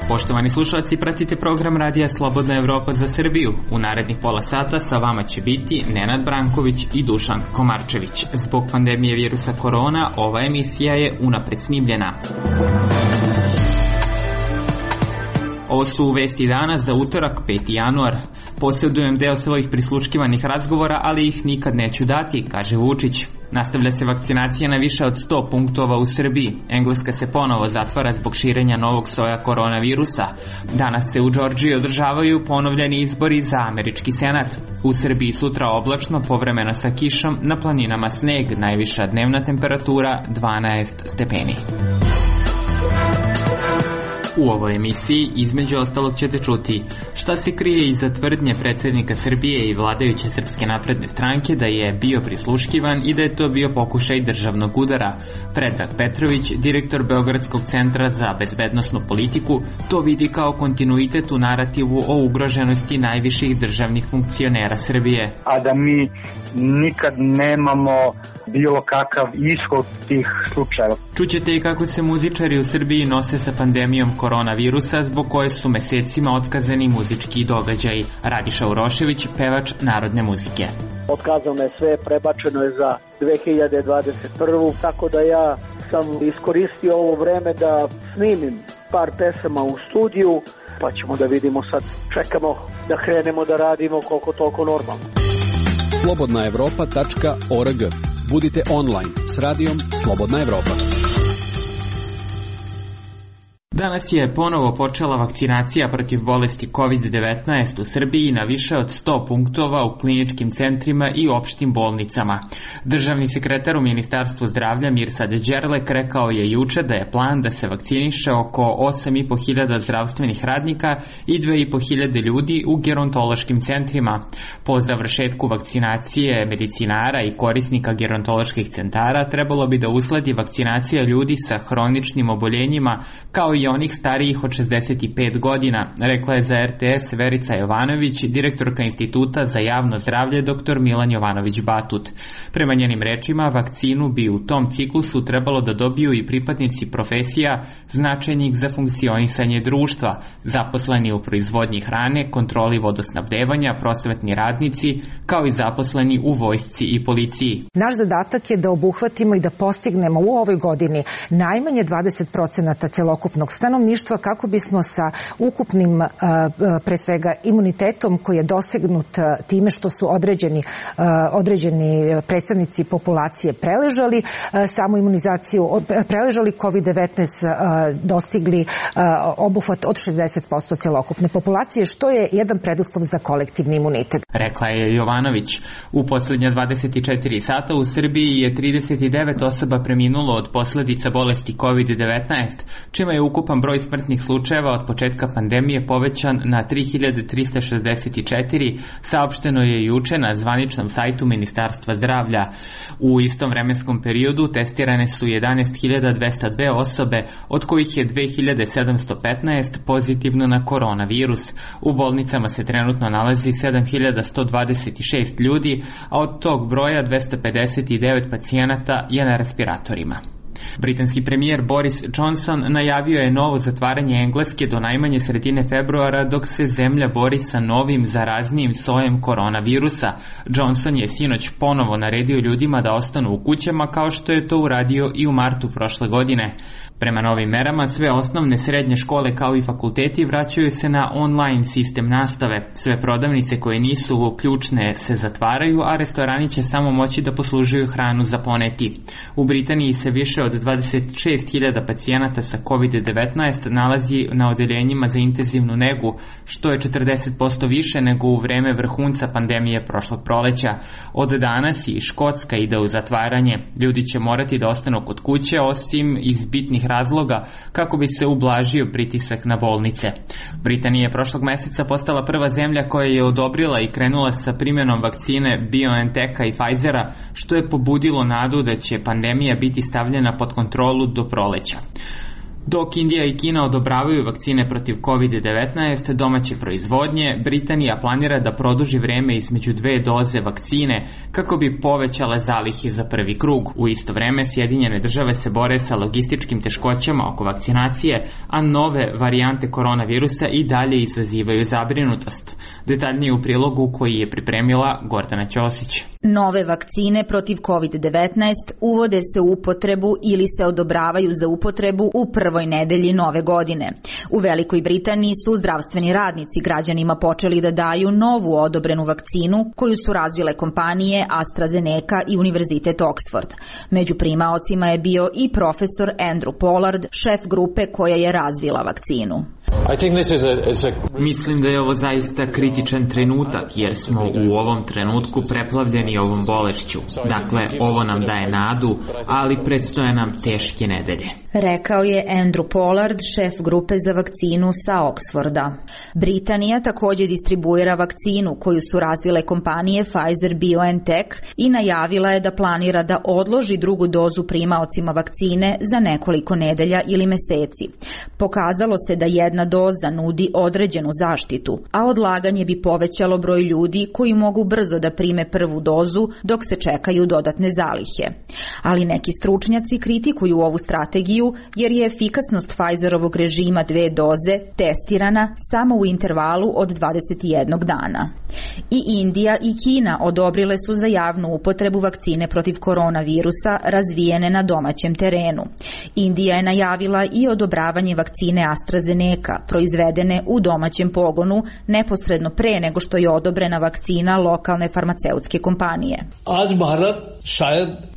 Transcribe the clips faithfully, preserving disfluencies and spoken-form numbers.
Poštovani slušalci, pratite program Radija Slobodna Evropa za Srbiju. U narednih pola sata sa vama će biti Nenad Branković i Dušan Komarčević. Zbog pandemije virusa korona, ova emisija je unapred snimljena. Ovo su vesti dana za utorak, peti januar. Posjedujem deo svojih prisluškivanih razgovora, ali ih nikad neću dati, kaže Vučić. Nastavlja se vakcinacija na više od sto punktova u Srbiji. Engleska se ponovo zatvara zbog širenja novog soja koronavirusa. Danas se u Džordžiji održavaju ponovljeni izbori za američki senat. U Srbiji sutra oblačno, povremeno sa kišom, na planinama sneg, najviša dnevna temperatura dvanaest stepeni. U ovoj emisiji između ostalog ćete čuti šta se krije iza tvrdnje predsjednika Srbije i vladajuće Srpske napredne stranke da je bio prisluškivan i da je to bio pokušaj državnog udara. Predrag Petrović, direktor Beogradskog centra za bezbednosnu politiku, to vidi kao kontinuitet u narativu o ugroženosti najviših državnih funkcionera Srbije. A da mi nikad nemamo bilo kakav ishod tih slučajeva. Čućete i kako se muzičari u Srbiji nose sa pandemijom koronavirusa, zbog koje su mesecima otkazani muzički događaji. Radiša Urošević, pevač narodne muzike. Otkazano je sve, prebačeno je za dve hiljade dvadeset prvu. Tako da ja sam iskoristio ovo vreme da snimim par pesama u studiju, pa ćemo da vidimo sad. Čekamo da krenemo da radimo koliko toliko normalno. slobodna evropa tačka org. Budite online s radijom Slobodna Evropa. Danas je ponovo počela vakcinacija protiv bolesti kovid devetnaest u Srbiji na više od sto punktova u kliničkim centrima i opštim bolnicama. Državni sekretar u Ministarstvu zdravlja Mirsad Đerlek rekao je juče da je plan da se vakciniše oko osam i po hiljada zdravstvenih radnika i dve i po hiljade ljudi u gerontološkim centrima. Po završetku vakcinacije medicinara i korisnika gerontoloških centara trebalo bi da usledi vakcinacija ljudi sa hroničnim oboljenjima kao i i onih starijih od šezdeset pet godina, rekla je za er te es Verica Jovanović, direktorka Instituta za javno zdravlje dr Milan Jovanović Batut. Prema njenim rečima, vakcinu bi u tom ciklusu trebalo da dobiju i pripadnici profesija značajnih za funkcionisanje društva, zaposleni u proizvodnji hrane, kontroli vodosnabdevanja, prosvetni radnici, kao i zaposleni u vojsci i policiji. Naš zadatak je da obuhvatimo i da postignemo u ovoj godini najmanje dvadeset procenata celokupnog stanovništva kako bismo sa ukupnim pre svega imunitetom koji je dosegnut time što su određeni, određeni predstavnici populacije preležali samu imunizaciju, preležali kovid devetnaest, dostigli obuhvat od šezdeset posto celokupne populacije, što je jedan preduslov za kolektivni imunitet. Rekla je Jovanović. U poslednja dvadeset četiri sata u Srbiji je trideset devet osoba preminulo od posledica bolesti kovid devetnaest, čime je ukupan broj smrtnih slučajeva od početka pandemije povećan na tri hiljade trista šezdeset četiri, saopšteno je juče na zvaničnom sajtu Ministarstva zdravlja. U istom vremenskom periodu testirane su jedanaest hiljada dvesta dve osobe, od kojih je dve hiljade sedamsto petnaest pozitivno na koronavirus. U bolnicama se trenutno nalazi sedam hiljada sto dvadeset šest ljudi, a od tog broja dvesta pedeset devet pacijenata je na respiratorima. Britanski premijer Boris Johnson najavio je novo zatvaranje Engleske do najmanje sredine februara dok se zemlja bori sa novim zaraznijim sojem koronavirusa. Johnson je sinoć ponovo naredio ljudima da ostanu u kućama kao što je to uradio i u martu prošle godine. Prema novim merama sve osnovne srednje škole kao i fakulteti vraćaju se na online sistem nastave. Sve prodavnice koje nisu ključne se zatvaraju, a restorani će samo moći da poslužuju hranu za poneti. U Britaniji se više od dvadeset šest hiljada pacijenata sa kovid devetnaest nalazi na odeljenjima za intenzivnu negu, što je četrdeset posto više nego u vreme vrhunca pandemije prošlog proleća. Od danas i Škotska ide u zatvaranje. Ljudi će morati da ostanu kod kuće, osim iz bitnih razloga, kako bi se ublažio pritisak na bolnice. Britanija je prošlog meseca postala prva zemlja koja je odobrila i krenula sa primjenom vakcine BioNTecha i Pfizera, što je pobudilo nadu da će pandemija biti stavljena pod kontrolu do proleća. Dok Indija i Kina odobravaju vakcine protiv kovid devetnaest domaće proizvodnje, Britanija planira da produži vreme između dve doze vakcine kako bi povećale zalihe za prvi krug. U isto vreme Sjedinjene države se bore sa logističkim teškoćama oko vakcinacije, a nove varijante koronavirusa i dalje izazivaju zabrinutost. Detaljnije u prilogu koji je pripremila Gordana Ćosić. Nove vakcine protiv kovid devetnaest uvode se u upotrebu ili se odobravaju za upotrebu u prvoj nedelji nove godine. U Velikoj Britaniji su zdravstveni radnici građanima počeli da daju novu odobrenu vakcinu koju su razvile kompanije AstraZeneca i Univerzitet Oxford. Među primaocima je bio i profesor Andrew Pollard, šef grupe koja je razvila vakcinu. Mislim da je ovo zaista kritičan trenutak jer smo u ovom trenutku preplavljeni ovom bolešću. Dakle, ovo nam daje nadu, ali predstoje nam teške nedelje. Rekao je Andrew Pollard, šef grupe za vakcinu sa Oxforda. Britanija također distribuira vakcinu koju su razvile kompanije Pfizer-BioNTech i najavila je da planira da odloži drugu dozu primaocima vakcine za nekoliko nedelja ili meseci. Pokazalo se da jedna doza nudi određenu zaštitu, a odlaganje bi povećalo broj ljudi koji mogu brzo da prime prvu dozu dok se čekaju dodatne zalihe. Ali neki stručnjaci kritikuju ovu strategiju jer je efikasnost Pfizerovog režima dve doze testirana samo u intervalu od dvadeset jednog dana. I Indija i Kina odobrile su za javnu upotrebu vakcine protiv koronavirusa razvijene na domaćem terenu. Indija je najavila i odobravanje vakcine AstraZeneca proizvedene u domaćem pogonu neposredno pre nego što je odobrena vakcina lokalne farmaceutske kompanije.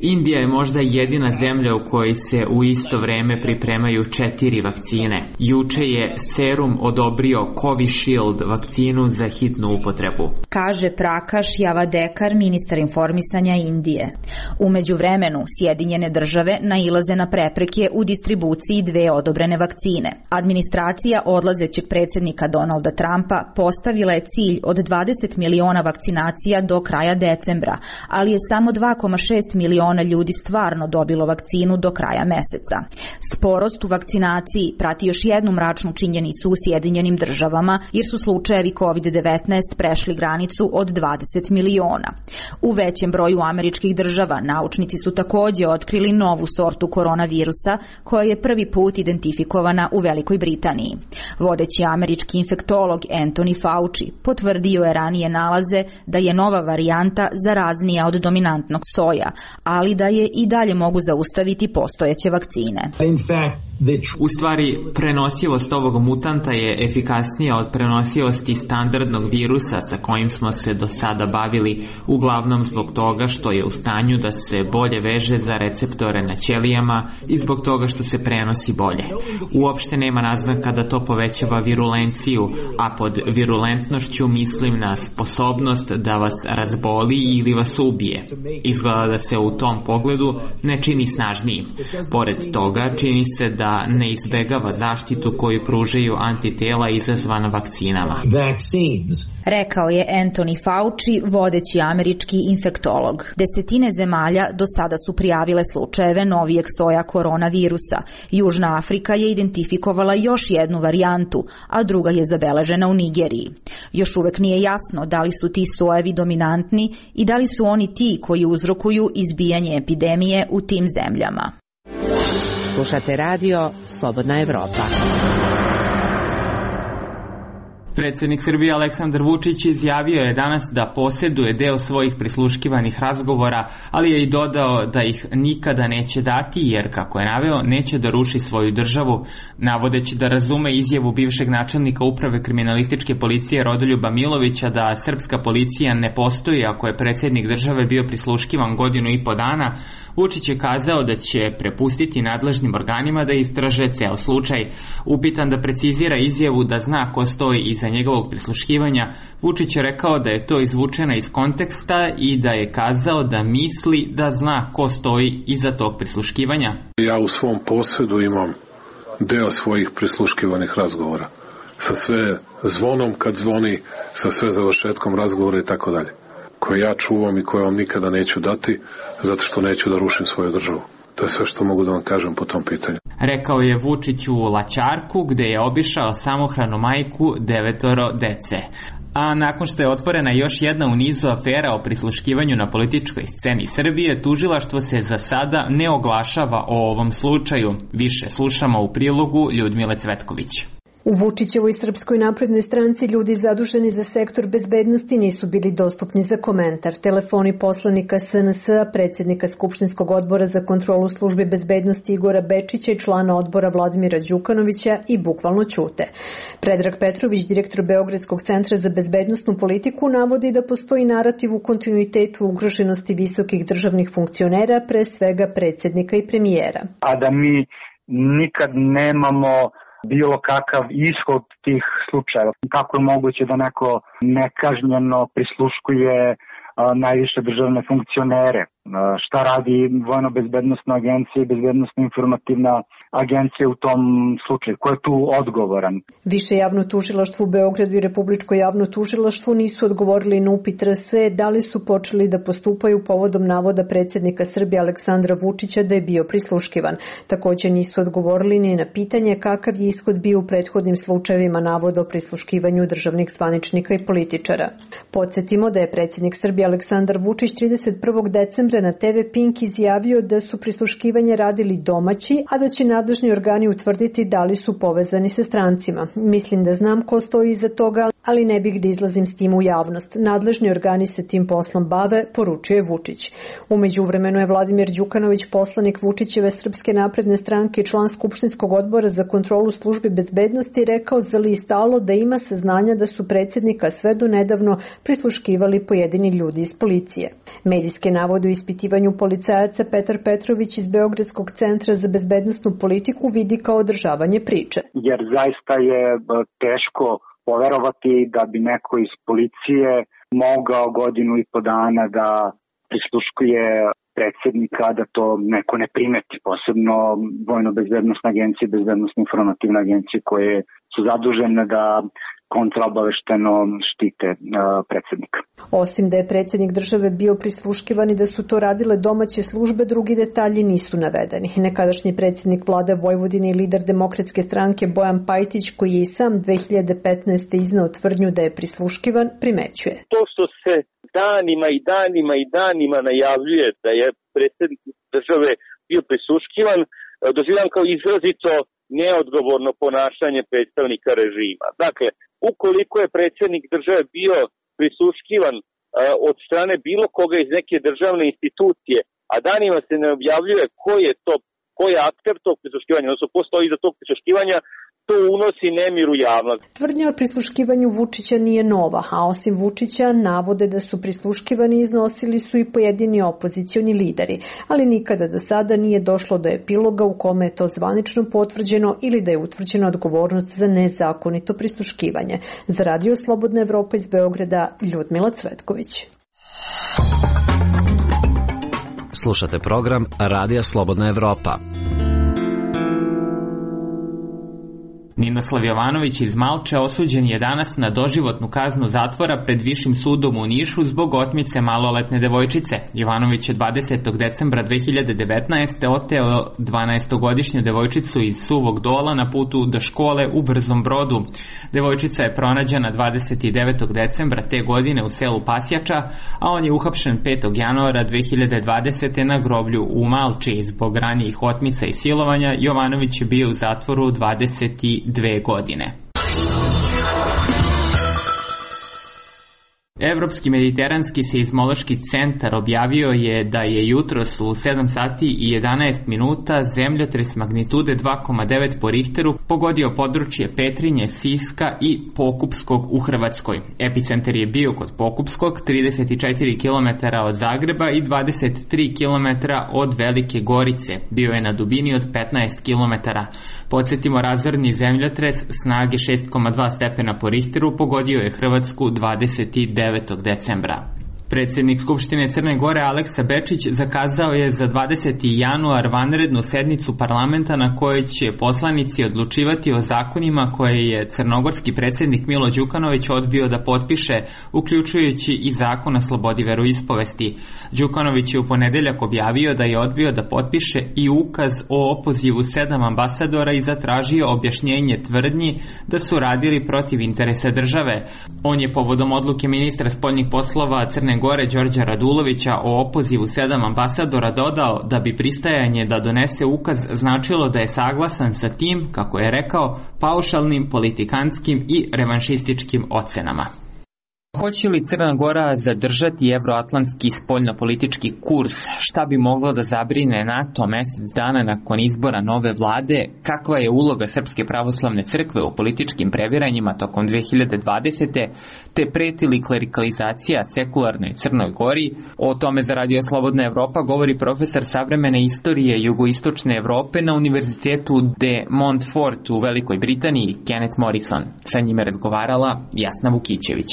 Indija je možda jedina zemlja u kojoj se u isto vreme pripremaju četiri vakcine. Juče je Serum odobrio Covishield vakcinu za hitnu upotrebu, kaže Prakash Javadekar, ministar informisanja Indije. U međuvremenu Sjedinjene države nailaze na prepreke u distribuciji dve odobrene vakcine. Administracija odlazećeg predsjednika Donalda Trumpa postavila je cilj od dvadeset miliona vakcinacija do kraja decembra, ali je samo dva zarez šest miliona ljudi stvarno dobilo vakcinu do kraja meseca. Sporost u vakcinaciji prati još jednu mračnu činjenicu u Sjedinjenim državama, jer su slučajevi kovid devetnaest prešli granicu od dvadeset miliona. U većem broju američkih država naučnici su također otkrili novu sortu koronavirusa koja je prvi put identifikovana u Velikoj Britaniji. Vodeći američki infektolog Anthony Fauci potvrdio je ranije nalaze da je nova varijanta zaraznija od dominantnog soja, ali da je i dalje mogu zaustaviti postojeće vakcine. U stvari, prenosivost ovog mutanta je efikasnija od prenosivosti standardnog virusa sa kojim smo se do sada bavili, uglavnom zbog toga što je u stanju da se bolje veže za receptore na ćelijama i zbog toga što se prenosi bolje. Uopšte nema naznaka da to povećava virulenciju, a pod virulentnošću mislim na sposobnost da vas razboli ili vas ubije. Izgleda da se u tom pogledu ne čini snažnijim. Pored toga, čini se da ne izbegava zaštitu koju pružaju antitela izazvana vakcinama. Rekao je Anthony Fauci, vodeći američki infektolog. Desetine zemalja do sada su prijavile slučajeve novijeg soja koronavirusa. Južna Afrika je identifikovala još jednu varijantu, a druga je zabeležena u Nigeriji. Još uvek nije jasno da li su ti sojevi dominantni i da li su oni ti koji uzrokuju izbijanje epidemije u tim zemljama. Slušate radio Slobodna Evropa. Predsjednik Srbije Aleksandar Vučić izjavio je danas da posjeduje deo svojih prisluškivanih razgovora, ali je i dodao da ih nikada neće dati jer, kako je naveo, neće da ruši svoju državu, navodeći da razume izjavu bivšeg načelnika uprave kriminalističke policije Rodoljuba Milovića da srpska policija ne postoji ako je predsjednik države bio prisluškivan godinu i po dana. Vučić je kazao da će prepustiti nadležnim organima da istraže ceo slučaj. Upitan da precizira izjavu da zna ko stoji iza njegovog prisluškivanja, Vučić je rekao da je to izvučeno iz konteksta i da je kazao da misli da zna ko stoji iza tog prisluškivanja. Ja u svom posjedu imam deo svojih prisluškivanih razgovora. Sa sve zvonom kad zvoni, sa sve završetkom razgovora i tako dalje. Koje ja čuvam i koje vam nikada neću dati, zato što neću da rušim svoju državu. To je sve što mogu da vam kažem po tom pitanju. Rekao je Vučić u Laćarku, gde je obišao samohranu majku devetoro dece. A nakon što je otvorena još jedna u nizu afera o prisluškivanju na političkoj sceni Srbije, tužilaštvo se za sada ne oglašava o ovom slučaju. Više slušamo u prilogu Ljudmile Cvetković. U Vučićevoj Srpskoj naprednoj stranci ljudi zaduženi za sektor bezbednosti nisu bili dostupni za komentar. Telefoni poslanika S N S-a, predsjednika Skupštinskog odbora za kontrolu službe bezbednosti Igora Bečića i člana odbora Vladimira Đukanovića i bukvalno ćute. Predrag Petrović, direktor Beogradskog centra za bezbednostnu politiku, navodi da postoji narativ u kontinuitetu ugroženosti visokih državnih funkcionera, pre svega predsjednika i premijera. A da mi nikad nemamo bilo kakav ishod tih slučajeva. Kako je moguće da neko nekažnjeno prisluškuje a, najviše državne funkcionere? A, šta radi Vojno-bezbednostna agencija i Bezbednostno-informativna agencija u tom slučaju? Ko je tu odgovoran? Više javno tužilaštvo u Beogradu i Republičko javno tužilaštvo nisu odgovorili na upit R S E da li su počeli da postupaju povodom navoda predsjednika Srbije Aleksandra Vučića da je bio prisluškivan. Također nisu odgovorili ni na pitanje kakav je ishod bio u prethodnim slučajevima navoda o prisluškivanju državnih zvaničnika i političara. Podsjetimo da je predsjednik Srbije Aleksandar Vučić trideset prvog decembra na te ve Pink izjavio da su prisluškivanje radili domaći, a da će nadležni organi utvrditi da li su povezani sa strancima. Mislim da znam ko stoji iza toga, ali ne bih da izlazim s tim u javnost. Nadležni organi se tim poslom bave, poručuje Vučić. U međuvremenu je Vladimir Đukanović, poslanik Vučićeve Srpske napredne stranke i član Skupštinskog odbora za kontrolu službe bezbednosti, rekao za list Alo da ima saznanja da su predsjednika sve do nedavno prisluškivali pojedini ljudi iz policije. Medijske navode u ispitivanju policajaca Petar Petrović iz Beogradskog centra za bezbednostnu politiku vidi kao održavanje priče. Jer zaista je teško poverovati da bi neko iz policije mogao godinu i po dana da prisluškuje predsjednika, da to neko ne primeti, posebno Vojno-bezbednostna agencija i Bezbednostno-informativna agencija koje su zadužene da kontraobavešteno štite uh, predsjednika. Osim da je predsjednik države bio prisluškivan i da su to radile domaće službe, drugi detalji nisu navedeni. Nekadašnji predsjednik vlade Vojvodine i lider Demokratske stranke Bojan Pajtić, koji je i sam dve hiljade petnaeste. izneo tvrdnju da je prisluškivan, primećuje. To što se danima i danima i danima najavljuje da je predsjednik države bio prisluškivan, doživljam kao izrazito neodgovorno ponašanje predstavnika režima. Dakle, ukoliko je predsjednik države bio prisluškivan uh, od strane bilo koga iz neke državne institucije, a danima se ne objavljuje ko je to, ko je akter tog prisluškivanja, odnosno ko stoji iza tog prisluškivanja, to unosi nemir u javnost. Tvrdnja o prisluškivanju Vučića nije nova, a osim Vučića navode da su prisluškivani iznosili su i pojedini opozicioni lideri, ali nikada do sada nije došlo do epiloga u kome je to zvanično potvrđeno ili da je utvrđena odgovornost za nezakonito prisluškivanje. Za Radio Slobodna Evropa iz Beograda, Ljudmila Cvetković. Slušate program Radija Slobodna Evropa. Ninoslav Jovanović iz Malče osuđen je danas na doživotnu kaznu zatvora pred Višim sudom u Nišu zbog otmice maloletne devojčice. Jovanović je dvadesetog decembra dve hiljade devetnaeste. oteo dvanaestogodišnju devojčicu iz Suvog Dola na putu do škole u Brzom Brodu. Devojčica je pronađena dvadeset devetog decembra te godine u selu Pasjača, a on je uhapšen petog januara dve hiljade dvadesete. na groblju u Malči. Zbog ranijih otmica i silovanja Jovanović je bio u zatvoru dvadeset dve godine. Evropski mediteranski seizmološki centar objavio je da je jutros u sedam sati i jedanaest minuta zemljotres magnitude dva zarez devet po Richteru pogodio područje Petrinje, Siska i Pokupskog u Hrvatskoj. Epicentar je bio kod Pokupskog, trideset četiri kilometara od Zagreba i dvadeset tri kilometra od Velike Gorice. Bio je na dubini od petnaest kilometara. Podsjetimo, razorni zemljotres snage šest zarez dva stepena po Richteru pogodio je Hrvatsku dvadeset devetog decembra. Predsjednik Skupštine Crne Gore Aleksa Bečić zakazao je za dvadeseti januar vanrednu sednicu parlamenta na kojoj će poslanici odlučivati o zakonima koje je crnogorski predsjednik Milo Đukanović odbio da potpiše, uključujući i zakon o slobodi veroispovesti. Đukanović je u ponedeljak objavio da je odbio da potpiše i ukaz o opozivu sedam ambasadora i zatražio objašnjenje tvrdnji da su radili protiv interesa države. On je povodom odluke ministra spoljnih poslova Crne Gore Đorđa Radulovića o opozivu sedam ambasadora dodao da bi pristajanje da donese ukaz značilo da je saglasan sa tim, kako je rekao, paušalnim, politikanskim i revanšističkim ocenama. Hoće li Crna Gora zadržati evroatlantski spoljnopolitički kurs? Šta bi moglo da zabrine NATO mesec dana nakon izbora nove vlade? Kakva je uloga Srpske pravoslavne crkve u političkim previranjima tokom dve hiljade dvadesete. te preti li klerikalizacija sekularnoj Crnoj Gori? O tome za Radio Slobodna Evropa govori profesor savremene istorije jugoistočne Evrope na Univerzitetu de Montfort u Velikoj Britaniji, Kenneth Morrison. Sa njime razgovarala Jasna Vukićević.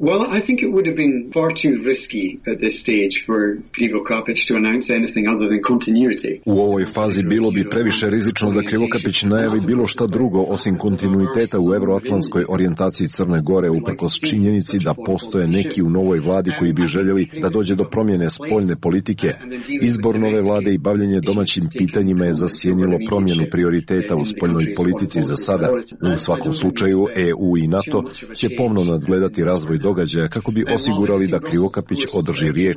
Well, I think it would have been far too risky at this stage for Krivokapić to announce anything other than continuity. U ovoj fazi bilo bi previše rizično da Krivokapić najavi bilo šta drugo osim kontinuiteta u evroatlantskoj orijentaciji Crne Gore, uprkos činjenici da postoje neki u novoj vladi koji bi željeli da dođe do promjene spoljne politike. Izbor nove vlade i bavljenje domaćim pitanjima je zasjenilo promjenu prioriteta u spoljnoj politici za sada. U svakom slučaju E U i NATO će pomno nadgledati razvoj događaja kako bi osigurali da Krivokapić održi riječ.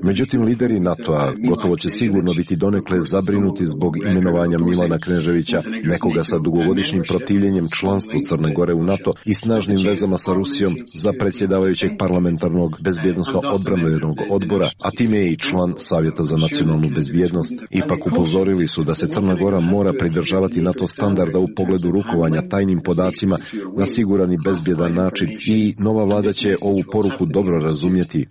Međutim, lideri NATO-a gotovo će sigurno biti donekle zabrinuti zbog imenovanja Milana Kneževića, nekoga sa dugogodišnjim protivljenjem članstvu Crne Gore u NATO i snažnim vezama sa Rusijom, za predsjedavajućeg parlamentarnog bezbjednosno-odbrambenog odbora, a time je i član Savjeta za nacionalnu bezbjednost. Ipak upozorili su da se Crna Gora mora pridržavati NATO standarda u pogledu rukovanja tajnim podacima na siguran i bezbjedan način i nova vlada će ovu poruku dobro razumjeti.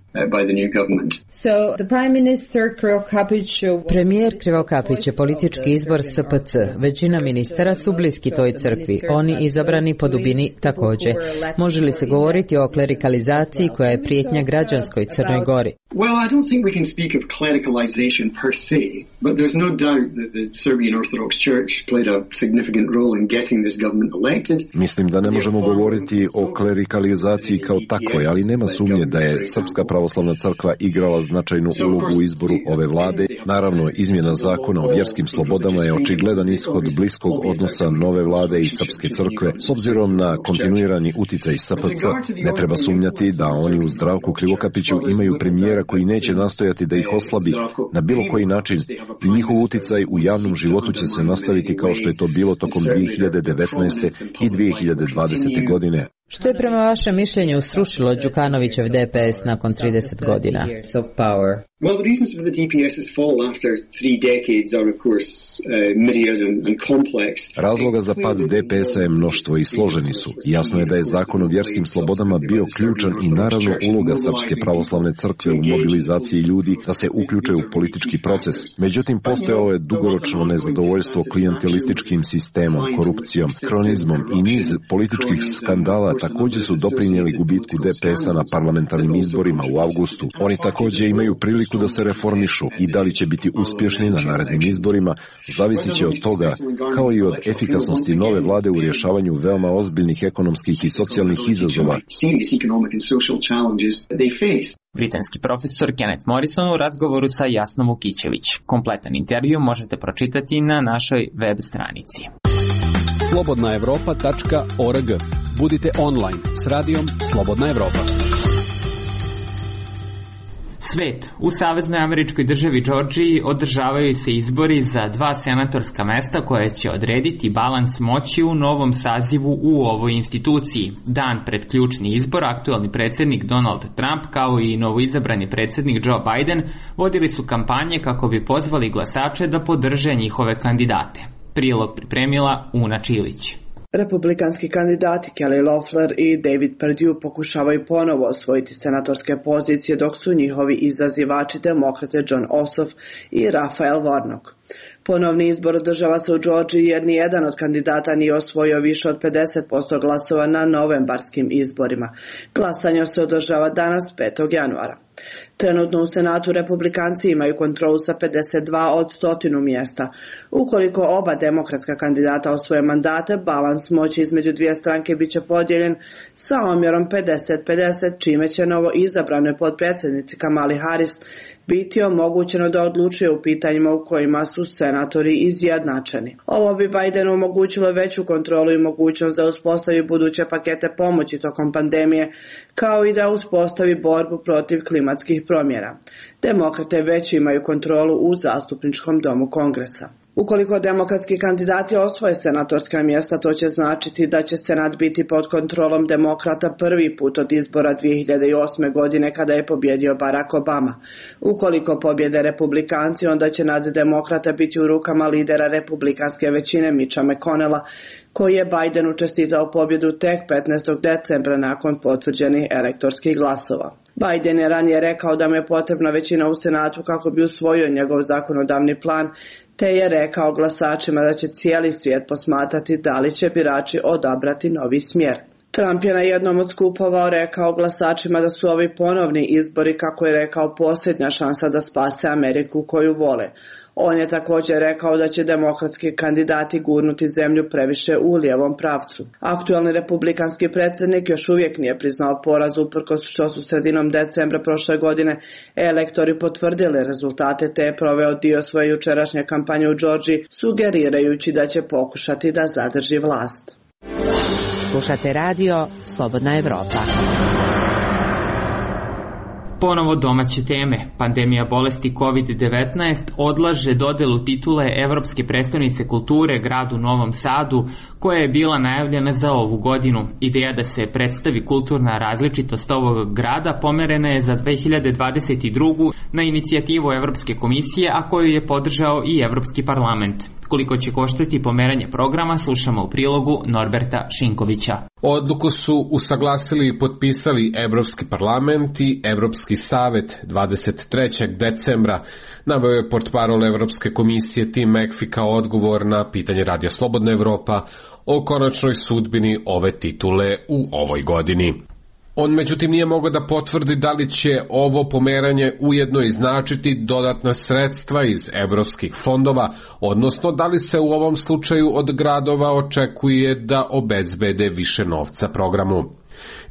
Premijer Krivokapić je politički izbor S P C. Većina ministara su bliski toj crkvi. Oni izabrani po dubini također. Može li se govoriti o klerikalizaciji koja je prijetnja građanskoj Crnoj Gori? Well, I don't think we can speak of clericalization per se, but there's no doubt that the Serbian Orthodox Church played a significant role in getting this government elected. Mislim da ne možemo govoriti o klerikalizaciji kao takvoj, ali nema sumnje da je Srpska pravoslavna crkva igrala značajnu ulogu u izboru ove vlade. Naravno, izmjena zakona o vjerskim slobodama je očigledan ishod bliskog odnosa nove vlade i Srpske crkve. S obzirom na kontinuirani uticaj S P C, ne treba sumnjati da oni u Zdravku Krivokapiću imaju premijera koji neće nastojati da ih oslabi na bilo koji način i njihov uticaj u javnom životu će se nastaviti kao što je to bilo tokom dvije hiljade devetnaeste. i dvije hiljade dvadesete. godine. Što je prema vašem mišljenju srušilo Đukanovićev D P S nakon trideset godina? Well, the reasons for the D P S's fall after three decades are, of course, uh, myriad and, and complex. Razloga za pad D P S-a je mnoštvo i složeni su. Jasno je da je zakon o vjerskim slobodama bio ključan i naravno uloga Srpske pravoslavne crkve u mobilizaciji ljudi da se uključe u politički proces. Međutim, postojalo je dugoročno nezadovoljstvo klijentelističkim sistemom, korupcijom, kronizmom i niz političkih skandala također su doprinijeli gubitku D P S-a na parlamentarnim izborima u avgustu. Oni također imaju priliku da se reformišu i da li će biti uspješni na narednim izborima zavisit će od toga, kao i od efikasnosti nove vlade u rješavanju veoma ozbiljnih ekonomskih i socijalnih izazova. Britanski profesor Kenneth Morrison u razgovoru sa Jasnom Vukićević. Kompletan intervju možete pročitati na našoj web stranici. slobodna evropa tačka org. Budite online s radijom Slobodna Evropa. Svet. U Saveznoj američkoj državi Džordžiji održavaju se izbori za dva senatorska mesta koje će odrediti balans moći u novom sazivu u ovoj instituciji. Dan pred ključni izbor, aktualni predsjednik Donald Trump kao i novoizabrani predsjednik Joe Biden vodili su kampanje kako bi pozvali glasače da podrže njihove kandidate. Prilog pripremila Una Čilić. Republikanski kandidati Kelly Loeffler i David Perdue pokušavaju ponovo osvojiti senatorske pozicije, dok su njihovi izazivači demokrate John Ossoff i Raphael Warnock. Ponovni izbor održava se u Džordžiji jer ni jedan od kandidata nije osvojio više od pedeset posto glasova na novembarskim izborima. Glasanje se održava danas petog januara. Trenutno u Senatu Republikanci imaju kontrolu sa pedeset dva od stotinu mjesta. Ukoliko oba demokratska kandidata osvoje mandate, balans moći između dvije stranke bit će podijeljen sa omjerom pedeset pedeset, čime će novo izabranoj potpredsjednici Kamali Harris biti omogućeno da odlučuje u pitanjima u kojima su senatori izjednačeni. Ovo bi Bidenu omogućilo veću kontrolu i mogućnost da uspostavi buduće pakete pomoći tokom pandemije, kao i da uspostavi borbu protiv klimatskih promjena. Demokrate već imaju kontrolu u zastupničkom domu Kongresa. Ukoliko demokratski kandidati osvoje senatorska mjesta, to će značiti da će Senat biti pod kontrolom demokrata prvi put od izbora dvije hiljade osme. godine kada je pobjedio Barack Obama. Ukoliko pobjede Republikanci, onda će nad demokrata biti u rukama lidera republikanske većine Mitcha McConnella, koji je Bidenu čestitao pobjedu tek petnaestog decembra nakon potvrđenih elektorskih glasova. Biden je ranije rekao da mu je potrebna većina u Senatu kako bi usvojio njegov zakonodavni plan, te je rekao glasačima da će cijeli svijet posmatrati da li će birači odabrati novi smjer. Trump je na jednom od skupova rekao glasačima da su ovi ponovni izbori, kako je rekao, posljednja šansa da spase Ameriku koju vole. On je također rekao da će demokratski kandidati gurnuti zemlju previše u lijevom pravcu. Aktualni republikanski predsjednik još uvijek nije priznao poraz, uprkos što su sredinom decembra prošle godine elektori potvrdili rezultate, te je proveo dio svoje jučerašnje kampanje u Džordžiji, sugerirajući da će pokušati da zadrži vlast. Slušate radio Slobodna Evropa. Ponovo domaće teme. Pandemija bolesti kovid devetnaest odlaže dodelu titule Evropske prestonice kulture gradu Novom Sadu, koja je bila najavljena za ovu godinu. Ideja da se predstavi kulturna različitost ovog grada pomerena je za dve hiljade dvadeset drugu. na inicijativu Evropske komisije, a koju je podržao i Evropski parlament. Koliko će koštati pomeranje programa, slušamo u prilogu Norberta Šinkovića. Odluku su usaglasili i potpisali Evropski parlament i Evropski savet dvadeset trećeg decembra. Naveo je portparol Evropske komisije Tim McPhee kao odgovor na pitanje Radija Slobodna Evropa o konačnoj sudbini ove titule u ovoj godini. On međutim nije mogao da potvrdi da li će ovo pomeranje ujedno i značiti dodatna sredstva iz evropskih fondova, odnosno da li se u ovom slučaju od gradova očekuje da obezbede više novca programu.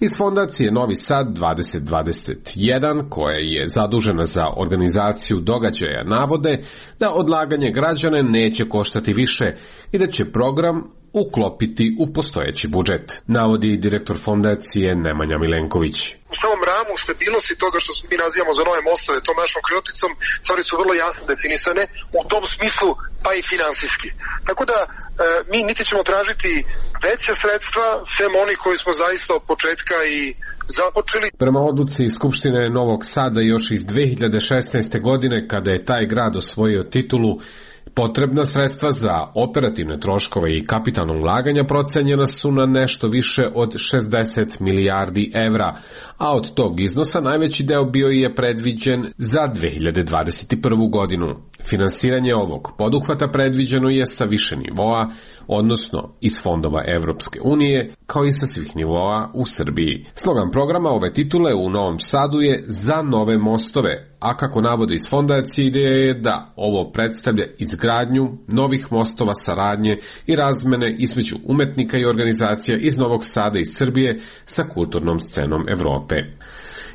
Iz fondacije Novi Sad dvadeset dvadeset jedan, koja je zadužena za organizaciju događaja, navode da odlaganje građana neće koštati više i da će program uklopiti u postojeći budžet, navodi direktor fondacije Nemanja Milenković. U samom ramu stabilnosti toga što mi nazivamo za nove mostove, tom našom krijoticom, stvari su vrlo jasno definisane, u tom smislu pa i finansijski. Tako da e, mi niti ćemo tražiti veće sredstva, sem oni koji smo zaista od početka i započeli. Prema odluci Skupštine Novog Sada još iz dve hiljade šesnaeste. godine, kada je taj grad osvojio titulu, potrebna sredstva za operativne troškove i kapitalno ulaganja procenjena su na nešto više od šezdeset milijardi evra, a od tog iznosa najveći deo bio je predviđen za dve hiljade dvadeset prvu. godinu. Finansiranje ovog poduhvata predviđeno je sa više nivoa, odnosno iz fondova Evropske unije, kao i sa svih nivoa u Srbiji. Slogan programa ove titule u Novom Sadu je Za nove mostove, a kako navode iz fondacije, ideja je da ovo predstavlja izgradnju novih mostova saradnje i razmene između umetnika i organizacija iz Novog Sada i Srbije sa kulturnom scenom Evrope.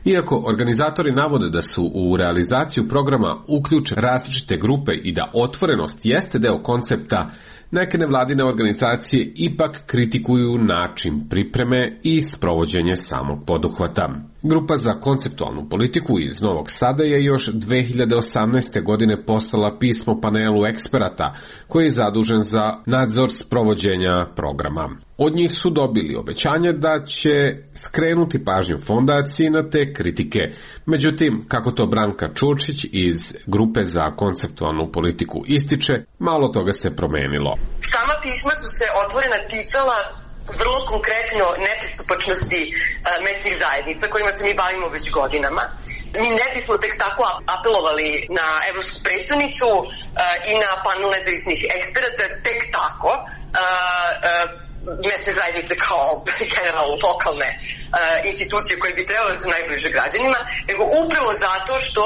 Iako organizatori navode da su u realizaciju programa uključene različite grupe i da otvorenost jeste deo koncepta, neke nevladine organizacije ipak kritikuju način pripreme i sprovođenje samog poduhvata. Grupa za konceptualnu politiku iz Novog Sada je još dve hiljade osamnaeste. godine poslala pismo panelu eksperata koji je zadužen za nadzor sprovođenja programa. Od njih su dobili obećanje da će skrenuti pažnju fondaciji na te kritike. Međutim, kako to Branka Čurčić iz Grupe za konceptualnu politiku ističe, malo toga se promenilo. Sama pisma su se otvorena ticala vrlo konkretno nepristupačnosti uh, mesnih zajednica kojima se mi bavimo već godinama. Mi ne bismo tek tako apelovali na evropsku predstavnicu uh, i na panel nezavisnih eksperata tek tako. Uh, uh, mesne zajednice kao generalno lokalne uh, institucije koje bi trebale da su najbliže građanima, nego upravo zato što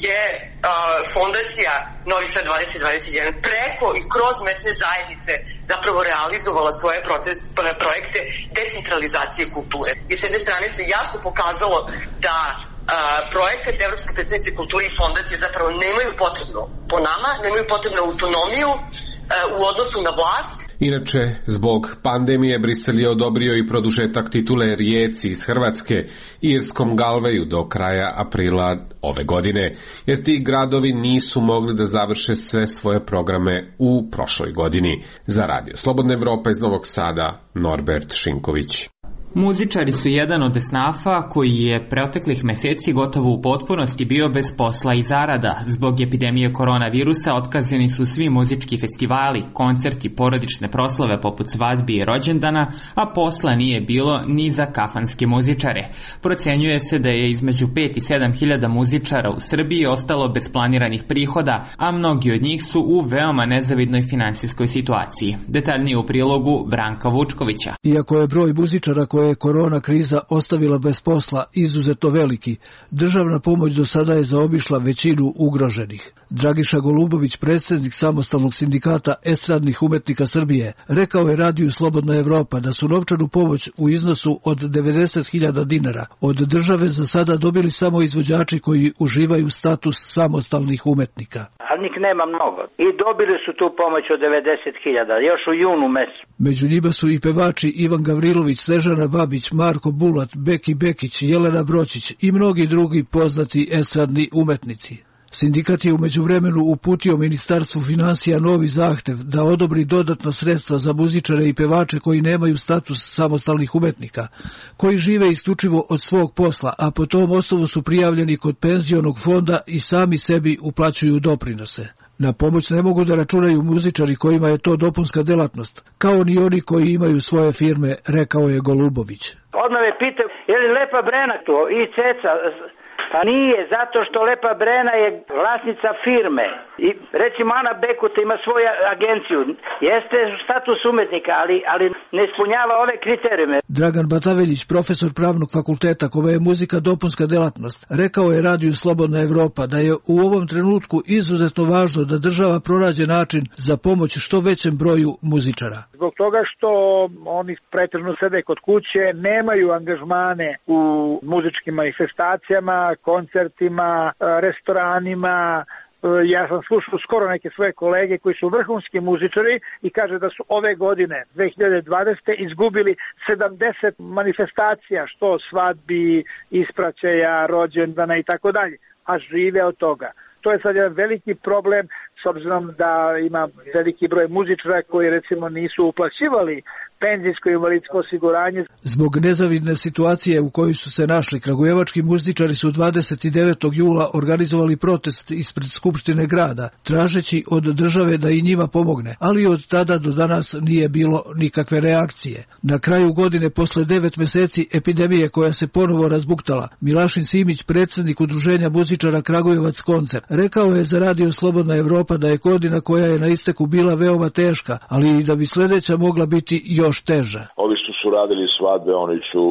je uh, fondacija Novi Sad dvadeset dvadeset jedan preko i kroz mesne zajednice zapravo realizovala svoje proces, projekte decentralizacije kulture. I s jedne strane se jasno pokazalo da uh, projekat Evropske predstavnice kulture i fondacije zapravo nemaju potrebno, po nama, nemaju potrebnu autonomiju uh, u odnosu na vlast. Inače, zbog pandemije Brisel je odobrio i produžetak titule Rijeci iz Hrvatske i Irskom Galveju do kraja aprila ove godine, jer ti gradovi nisu mogli da završe sve svoje programe u prošloj godini. Za Radio Slobodna Evropa iz Novog Sada, Norbert Šinković. Muzičari su jedan od esnafa koji je proteklih meseci gotovo u potpunosti bio bez posla i zarada. Zbog epidemije koronavirusa otkazani su svi muzički festivali, koncerti, porodične proslave poput svadbi i rođendana, a posla nije bilo ni za kafanske muzičare. Procenjuje se da je između pet i sedam hiljada muzičara u Srbiji ostalo bez planiranih prihoda, a mnogi od njih su u veoma nezavidnoj finansijskoj situaciji. Detaljnije u prilogu Branka Vučkovića. Iako je broj muzičara koje je korona kriza ostavila bez posla izuzetno veliki, državna pomoć do sada je zaobišla većinu ugroženih. Dragiša Golubović, predsjednik samostalnog sindikata estradnih umetnika Srbije, rekao je Radiju Slobodna Evropa da su novčanu pomoć u iznosu od devedeset hiljada dinara od države za sada dobili samo izvođači koji uživaju status samostalnih umetnika. Ali njih nema mnogo. I dobili su tu pomoć od devedeset hiljada, još u junu mesecu. Među njima su i pevači Ivan Gavrilović, Snežana Babić, Marko Bulat, Beki Bekić, Jelena Bročić i mnogi drugi poznati estradni umetnici. Sindikat je u međuvremenu uputio Ministarstvu finansija novi zahtev da odobri dodatna sredstva za muzičare i pevače koji nemaju status samostalnih umetnika, koji žive isključivo od svog posla, a po tom osnovu su prijavljeni kod penzionog fonda i sami sebi uplaćuju doprinose. Na pomoć ne mogu da računaju muzičari kojima je to dopunska delatnost, kao ni oni koji imaju svoje firme, rekao je Golubović. Odmah me pitao, je li Lepa Brena to i Ceca? Pa nije, zato što Lepa Brena je vlasnica firme. I recimo Ana Bekuta ima svoju agenciju. Jeste status umetnika, ali, ali ne ispunjava ove kriterijume. Dragan Bataveljić, profesor pravnog fakulteta kome je muzika dopunska delatnost, rekao je Radiju Slobodna Evropa da je u ovom trenutku izuzetno važno da država pronađe način za pomoć što većem broju muzičara. Zbog toga što oni pretežno sede kod kuće, nemaju angažmane u muzičkim manifestacijama, koncertima, restoranima. Ja sam slušao skoro neke svoje kolege koji su vrhunski muzičari i kaže da su ove godine, dve hiljade dvadesete izgubili sedamdeset manifestacija, što svadbi, ispraćaja, rođendana i tako dalje, a žive od toga. To je sad jedan veliki problem, s obzirom da ima veliki broj muzičara koji recimo nisu uplaćivali penzijsko i invalidsko osiguranje. Zbog nezavidne situacije u kojoj su se našli, kragujevački muzičari su dvadeset devetog jula organizovali protest ispred Skupštine grada, tražeći od države da i njima pomogne, ali od tada do danas nije bilo nikakve reakcije. Na kraju godine, posle devet meseci epidemije koja se ponovo razbuktala, Milašin Simić, predsjednik Udruženja muzičara Kragujevac Koncert, rekao je za Radio Slobodna Evropa da je godina koja je na isteku bila veoma teška, ali i da bi sledeća mogla biti još teža. Ovi što su radili svadbe, oni su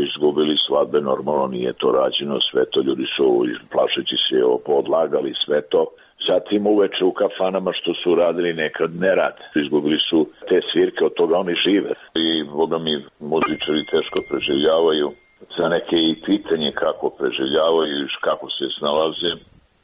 izgubili svadbe, normalno nije to rađeno, sve to ljudi su plašeći se podlagali sve to. Zatim uveče u kafanama što su radili nekad nerad. Izgubili su te svirke, od toga oni žive. I boga mi muzičari teško preživljavaju. Za neke i pitanje kako preživljavaju i kako se snalaze.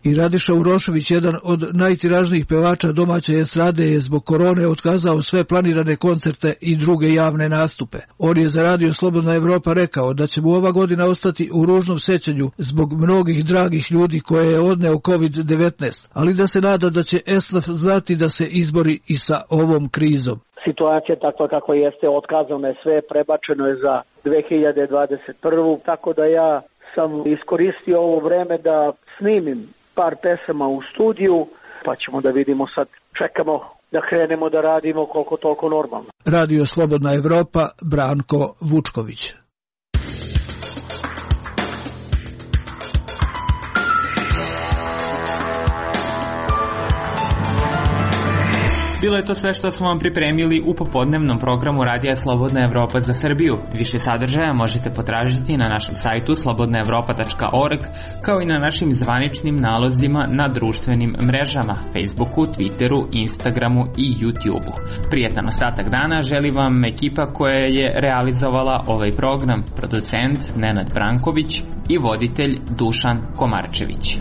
I Radiša Urošević, jedan od najtiražnijih pevača domaće estrade, je zbog korone otkazao sve planirane koncerte i druge javne nastupe. On je za Radio Slobodna Evropa rekao da će mu ova godina ostati u ružnom sećanju zbog mnogih dragih ljudi koje je odneo kovid devetnaest, ali da se nada da će esnaf znati da se izbori i sa ovom krizom. Situacija takva kako jeste, otkazano je sve, prebačeno je za dve hiljade dvadeset prvu. Tako da ja sam iskoristio ovo vreme da snimim par pesama u studiju, pa ćemo da vidimo sad, čekamo da krenemo da radimo koliko toliko normalno. Radio Slobodna Evropa, Branko Vučković. Bilo je to sve što smo vam pripremili u popodnevnom programu Radija Slobodna Evropa za Srbiju. Više sadržaja možete potražiti na našem sajtu slobodna evropa tačka org, kao i na našim zvaničnim nalozima na društvenim mrežama, Facebooku, Twitteru, Instagramu i YouTubeu. Prijetan ostatak dana želi vam ekipa koja je realizovala ovaj program, producent Nenad Branković i voditelj Dušan Komarčević.